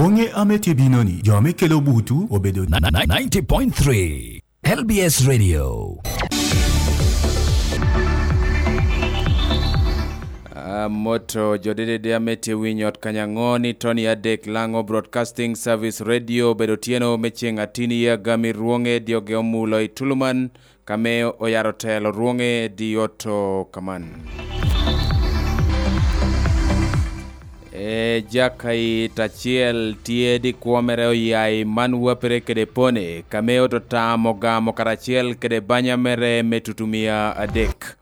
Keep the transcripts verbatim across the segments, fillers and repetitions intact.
Onge ame tye bino ni jo ame kelo butu obedo ninety point three L B S Radio. Amoto jo dedede ame tye winyo ot kanyaŋo ni Tony Adek Laŋo Broadcasting Service Radio obedo tyeno me ceŋ atin i agami rwoŋe dyoge omulo i Tuluman, kame oyaro telo rwoŋe di oto kaman. E jakayit acel tye di kwo mere oya i man wapere kede pone, kame oto tamo gamo karacel kede banya mere me tutumia adek.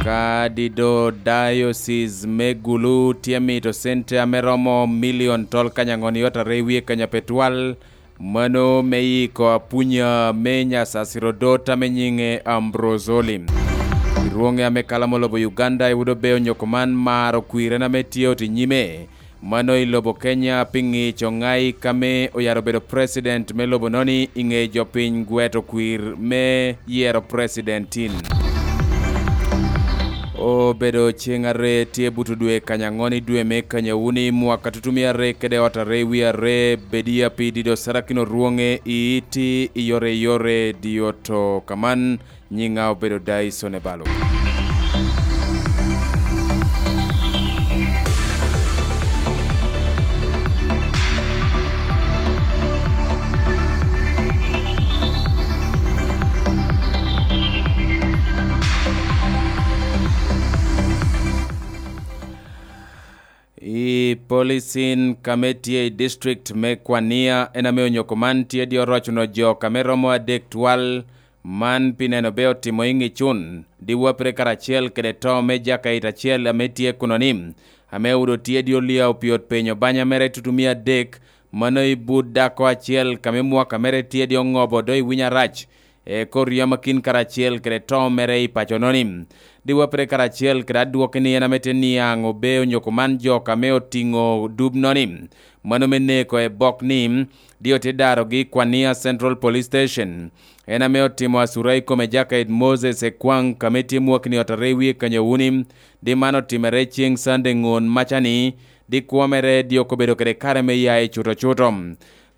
Ka dido Diocese me Gulu tye mito cente ame romo milion tol kanyaŋon i ot are wie kanya petwal, mano me yiko apunya me Nyasasiro dot ame nyiŋe Ambrose Olim. Rwoŋe ame kalamo lobo Uganda i Wudo Bey onyoko man maro kwirene ame tye oti nyime, mano i lobo Kenya pi ŋic oŋai kame oyaro bedo president me lobo noni i ŋe jo piny gweto kwir me yero presidentin. Obedo ceŋ are tye buto dwe kanyaŋon i dwe me kanyawuni mwaka tutumi are kede ot are wi are bedia pi dido sarakino rwoŋe i iti i yore yore dioto kaman. Nyiŋa obedo Dyson Ebalo. I policin kame tye i district me Kwania, en ame onyoko man tye di orocuno jo kame romo adek twal, man pi neno be otimo i ŋicun, di wapere karacel kede to me jakayit acel ame tye kuno ni, ame odo tye di olia opiot penyo banya mere tutumia adek, mano i but dako acel kame mwaka mere tye di oŋobo do i winy arac, e kor yam akin karacel kede to mere i paco noni. Di wapere karacel kede adwoki ni en ame te niaŋ obe onyoko man jo kame otiŋo dub noni. Mano me neko e bok ni, di ote darogi i Kwania Central Police Station. En ame otimo asura i kome jakayit Moses Ekwaŋ kame tye mwakni ot are wie kanyawuni, di man otimere ceŋ Sande ŋon macani, di kwo mere di okobedo kede kare me ya i cuto cuto.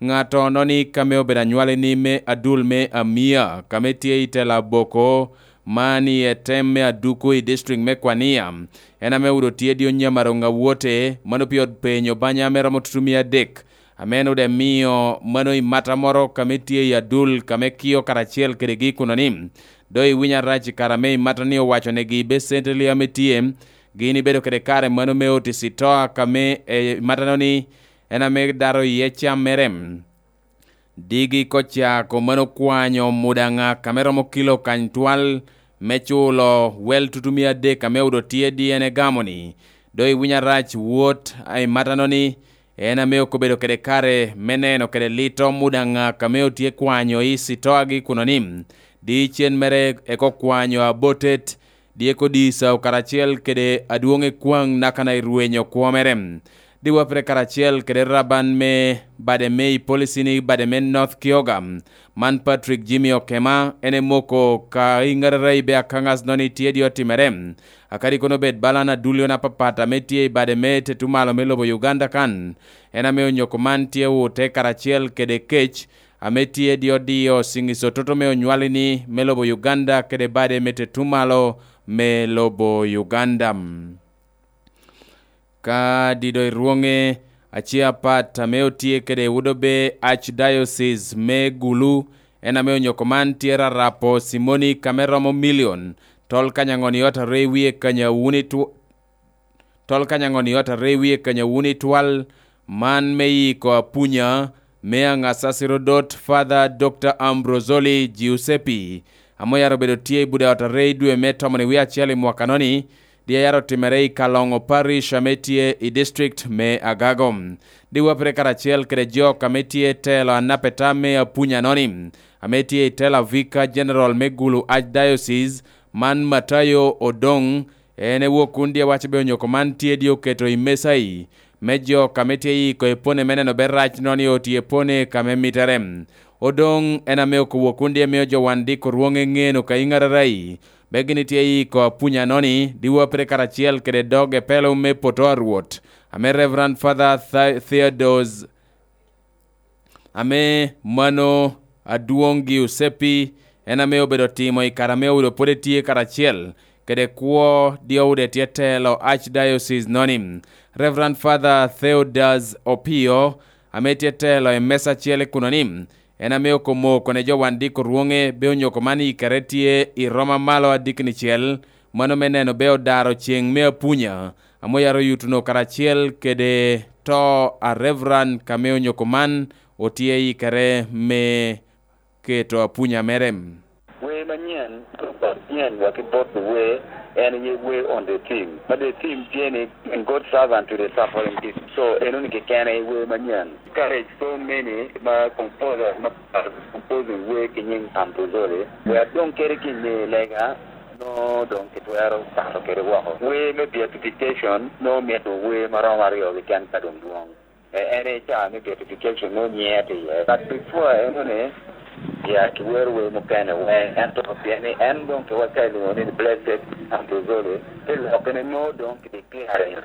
Ŋato noni kame obedo anywali ni me adul me Amia, kame tye i tela Boko, man i etem me Aduku i district me Kwania, en ame odo tye di onyamaro ŋawote, mano pi ot penyo banya me romo tutumia adek, ame en odo emio mano i mata moro kame tye i adul, kame kio karacel kedegi kuno ni, do i winy arac i kare ame i mata ni owaco negi be sente li ame tye, gin ibedo kede kare mano me oti sitoa kame, eh, i mata no ni, en ame daro iye cam mere. Digi kocako mano kwanyo mudaŋa kame romo kilo kany twal me culo wel tutumia adek ame odo tye di en egamo ni, do i winy arac wot i mata no ni, en ame okobedo kede kare me neno kede lito mudaŋa kame otye kwanyo i sitoagi kuno ni, di cen mere eko kwanyo abotet, dyeko di Esau karacel kede adwoŋ ekwaŋ nakana i rwenyo kwo mere. Di wapere karacel kede raban me bade me i policy ni bade me North Kyoga, man Patrick Jimmy Okema, en emoko ka i ŋarara i be akaŋas noni tye di otimere. Akadi kono bed balan adulio na papat ame tye i bade me tetumalo me lobo Uganda kan, en ame onyoko man tye ute karacel kede kec, ame tye di odiyo siŋiso toto me onywali ni me lobo Uganda kede bade me tetumalo me lobo Uganda. Ka dido i rwoŋe, ace apat ame otye kede Wudobe Archdiocese me Gulu, en ame onyoko man tye rarapo Simoni kame romo milion, tol kanyaŋon i ot are wie kanyawuni tw-, tol kanyaŋon i ot are wie kanyawuni twal, man me yiko apunya, me aŋasasiro dot Father Doctor Ambrosoli Giuseppe, ame oyaro obedo tye i Buda ot are i dwe me tomon i wie acel i mwaka noni, di ayaro otimere i Kaloŋo Parish ame tye i district me Agago. Di wapere karacel kede jok ame tye telo anapeta me apunya noni, ame tye i tela Vicar General me Gulu Archdiocese, man Matayo Odong, en ewok kun di awaco be onyoko man tye di oketo i mesa i, me jok ame tye yiko epone me neno be rac noni otye epone kame mitere. Odong en ame okobo kun di amiyo jo wan diko rwoŋe ŋeno ka i ŋararai, be gin itye yiko apunya noni, di wapere karacel kede dog epelo me poto a Rwot, ame Reverend Father Tha-, Theodos Ame mano, adwoŋ Giuseppe, en ame obedo timo i kare ame Odo pwod etye karacel kede kwo Diode tye telo Archdiocese noni, Reverend Father Theodas Opio, ame tye telo i mesa acel i kuno ni, en ame okomo kone jo wan diko rwoŋe be onyoko man i kare tye i Roma malo adikni cel, mano me neno be odaro ceŋ me apunya, ame oyaro yutuno karacel kede to a Reverend kame onyoko man otye i kare me keto apunya mere. Wer manyen, wer manyen wa ki bot wer, en aye wer on the theme. Ma the theme tye ni, "And God servant to the suffering people." So, eno ni kekene wer manyen. Encourage so many ma composer, ma composing wer ki nyiŋ Ambrosoli. Wer adong kede ki nge lega, no dong kitwero kato kede woko. Wer me beatification, no mito wer ma romo aryo keken ka dong dwong. E, en e ca me beatification, no nyiŋe tye iye. But before enoni, ya kiwero wer mukene, wer, ento pien ni en dong ki waka elwoŋo ni Blessed Ambrosoli, te lokke ni no dong ki declare.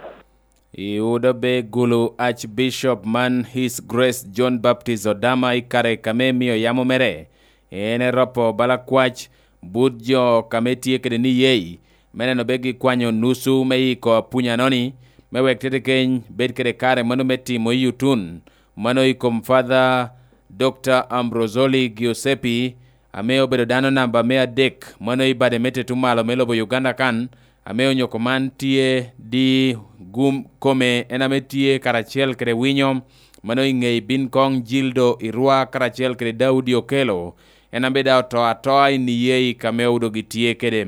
I Udo be Gulu Archbishop man His Grace John Baptist Odama i kare kame mio yamo mere, en eropo bala kwac but jo kame tye kede niyei, me neno be gikwanyo nusu me iko apunya noni, me wek tete keny bed kede kare mano me timo i otun, mano i kom Father Doctor Ambrosoli Giuseppe, ame obedo dano namba me adek, mano i bade me tetumalo me lobo Uganda kan, ame onyoko man tye di gum kome en ame tye karacel kede winyo, mano i ŋei bin koŋ Jildo Irwa karacel kede Daudi Okelo, en ame daŋ oto atoa i niyei kame Odo gitye kede.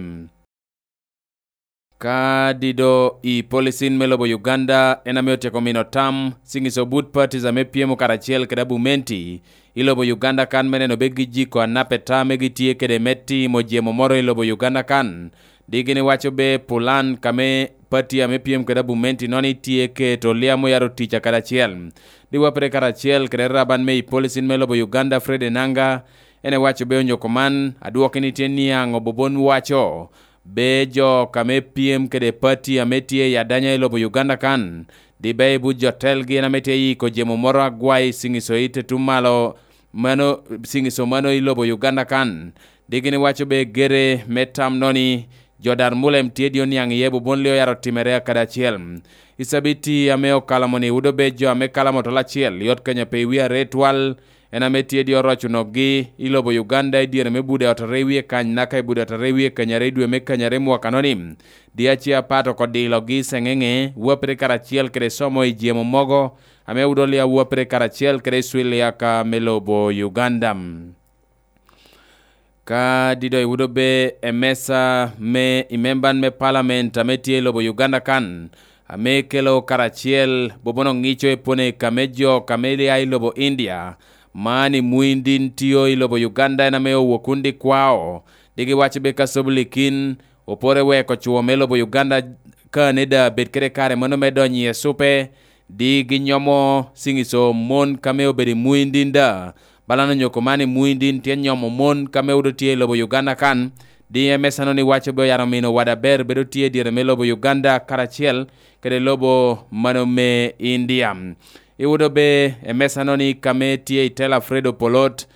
Ka dido i policin me lobo Uganda en ame otyeko mino tam, Singis Obut Parties ame pyemo karacel kede Abumenti i lobo Uganda kan me neno be gijiko anap eta me gitye kede me timo jemo moro i lobo Uganda kan. Di gin iwaco be pulan kame pati ame pyem kede Abumenti noni tye keto liam oyaro tic akadi acel. Di wapere karacel kede raban me i policin me lobo Uganda Fred Enanga, en ewaco be onyoko man, adwoki ni tye niaŋ obobon waco, be jo kame pyem kede pati ame tye i adanya i lobo Uganda kan, di be i but jo telgi en ame tye yiko jemo moro agwai Singis Oite Tumalo, mano, Singis Omano i lobo Uganda kan. Di gin iwaco be gere me tam noni, jo dar mulem tye di oniaŋ iye bobon li oyaro timere akadi acel. I cabiti ame okalo moni, wudo be jo ame kalo motol acel, yot kenya pe i wi are twal, en ame tye di oroco nokgi i lobo Uganda i dyere me bude ot are wie kany, naka i bude ot are wie kany are i dwe me kany are mwaka noni. Di ace apat oko dilogi i Seŋeŋe, wapere karacel kede somo i jemo mogo, ame wudo lia wapere karacel kede i Swiliaka me lobo Uganda. Ka dido iwudo be emesa me i memban me palament ame tye i lobo Uganda kan, ame kelo karacel bobono ŋico i pone kame jo kame lia i lobo India, man i mwindin tio i lobo Uganda en ame owok kundi kwao, digi waco be ka sobulikin opore weko cwo me lobo Uganda Canada bed kede kare mano me donyo i ecupe, di ginyomo Singis Omon kame obedo i mwindin da. Balano nyoko man i mwindin tye nyomo mon kame wudo tye i lobo Uganda kan, di emesano ni waco be oyaro mino wada ber bedo tye i dyere me lobo Uganda karacel kede lobo mano me India. Iwudo be emesano ni kame tye i tela Fred Opolot,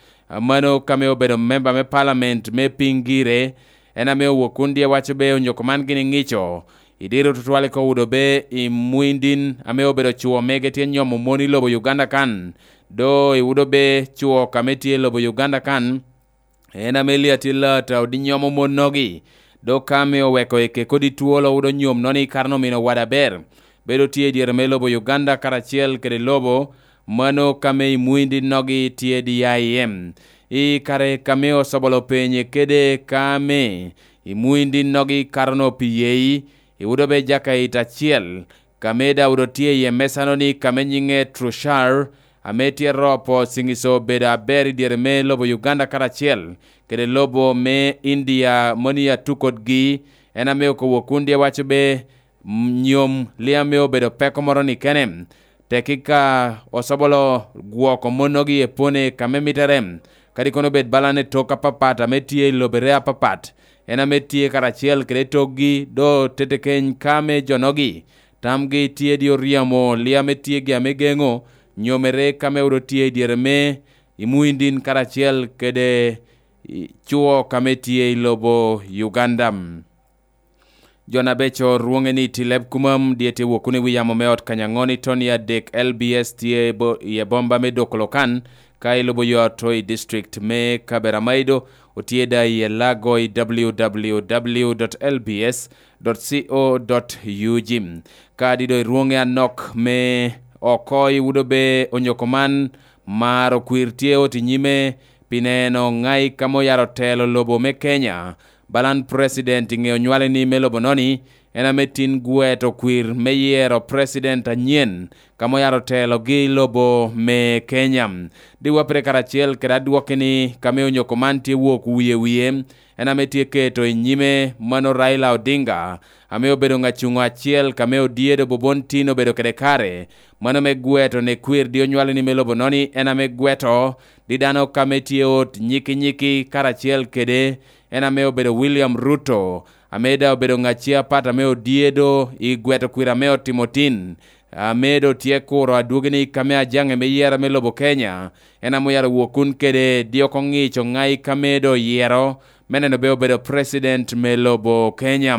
mano kame obedo memba me palament me piny gire, en ame owok kun dye waco be onyoko man gini ŋico. I diro tutwal i Kowudo be i mwindin ame obedo cwo mege tye nyomo mon i lobo Uganda kan, do i Wudo be cwo kame tye i lobo Uganda kan, en ame Eliatil Lata odi nyomo monnogi, do ka ame oweko eke kodi twolo Wudo nyom noni kara omino wada ber, bedo tye i dyere me lobo Uganda karacel kede lobo mano kame i mwindinnogi tye di ya i em. I kare kame osobolo penye kede kame i mwindinnogi kara-no pi yei, i Wudo be jaka it acel, kame Daud otye iye mesano ni kame nyiŋe Trushar, ame tye ropo Singis obedo aber i dyere me lobo Uganda karacel kede lobo me India moni atukotgi, en ame okobo kundi awaco be, nyom liame obedo peko moro ni kene. Tekki ka osobolo gwoko monnogi i epone kame mitere, kadi kono bed balane tok apapat ame tye i lobere apapat, en ame tye karacel kede tokgi, do tetekeny ka me jonogi, tamgi tye di oryemo liame tye gi ame geŋo, nyomere kame odo tye i dyere me i Muindin karacel kede i cwo kame tye i lobo Uganda. Jo na beco rwoŋe ni Tileb Kumam dye tye wok wunu i wi yamo me ot kanyaŋon i ton i adek L B S tye bo-, i ebomba me Dokolokan, ka ilubo yo ato i district me Kaberamaido, otye da i Elago i W W W dot L B S dot co dot U G. Kadi do i rwoŋe anok me oko i Wudobe onyoko man, mar okwir tye ot i nyime pi neno ŋai ka mo yaro telo lobo me Kenya. Balan president i ŋe onywale ni me lobo noni, en ame tin gweto kwir me yero president anyen, ka mo yaro telogi i lobo me Kenya. Diwa pire karacel kede adwoki ni ka me onyoko man tye wok wie wie, en ame tye keto i nyime mano Raila Odinga, ame obedo ŋacuŋo acel ka me odyedo bobon tin obedo kede kare, mano me gweto ni kwir di onywale ni me lobo noni, en ame gweto di dano ka me tye ot nyiki nyiki karacel kede en ame obedo William Ruto, ame daŋ obedo ŋacci apat ame odyedo i gweto kwir ame otimo tin, ame doŋ tye kuro adwogi ni ka me ajaŋe me yera me lobo Kenya, en ame oyaro wok kun kede dyoko ŋic oŋai ka me doŋ yero, me neno be obedo president me lobo Kenya.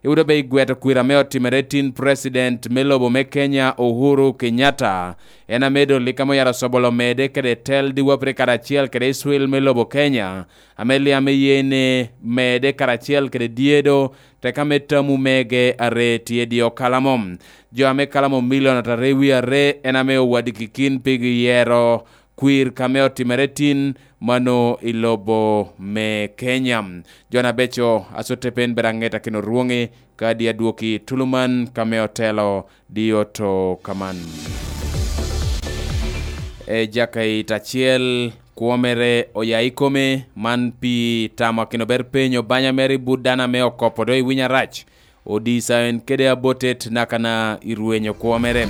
Iwudo be i gweto kwir ame otimere tin president me lobo me Kenya, Uhuru Kenyatta, en ame doŋ lik ame oyaro sobolo mede kede tel diwa pire karacel kede Israel me lobo Kenya, ame liame ye ni mede karacel kede dyedo, teka me tamu mege are tye dio kalamo. Jo ame kalamo milion atarre wie are en ame owadigi kin pigi yero kwir ka me otimere tin mano i lobo me Kenya. Jo na beco asote pen bed aŋet akino rwoŋi, kadi adwoki tuluman ka me otelo di oto kaman. E jaka it acel, kwo mere oya i kome, man pi tamo akino ber penyo banya mere i but dano ame okopo do i winy arac. Odisa en kede abotet nakana i rwenyo kwo mere.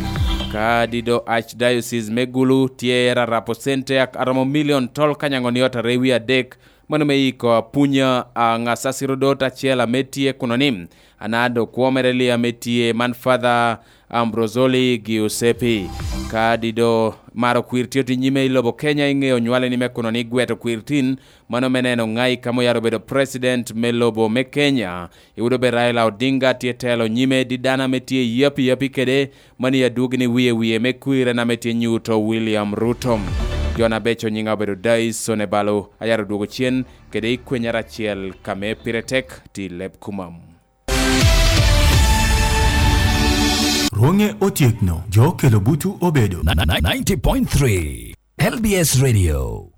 Kadi do Archdiocese me Gulu tye rarapo cente ak-, aromo milion tol kanyaŋo ni ot are wie adek, mano me iko apunya a ŋacacirodot acel ame tye kuno ni, anado kwo mere li ame tye man Father Ambrosoli Giuseppe. Kadi do maro kwir tye oti nyime i lobo Kenya i ŋe onywale ni me kuno ni gweto kwir tin, mano me neno ŋai ka mo yaro bedo president me lobo me Kenya. Iwudo be Raila Odinga tye telo nyime di dano ame tye yapi yapi kede, mani adwogi ni wie wie me kwir en ame tye nyuto William Ruto. Jo na beco nyiŋa obedo Dais Onebalo, ayaro dwogo cen kede i kwenyere acel ka me pire tek ti leb kumam. Rwoŋe otyekno, jo okelo butu obedo. Ninety point three L B S Radio.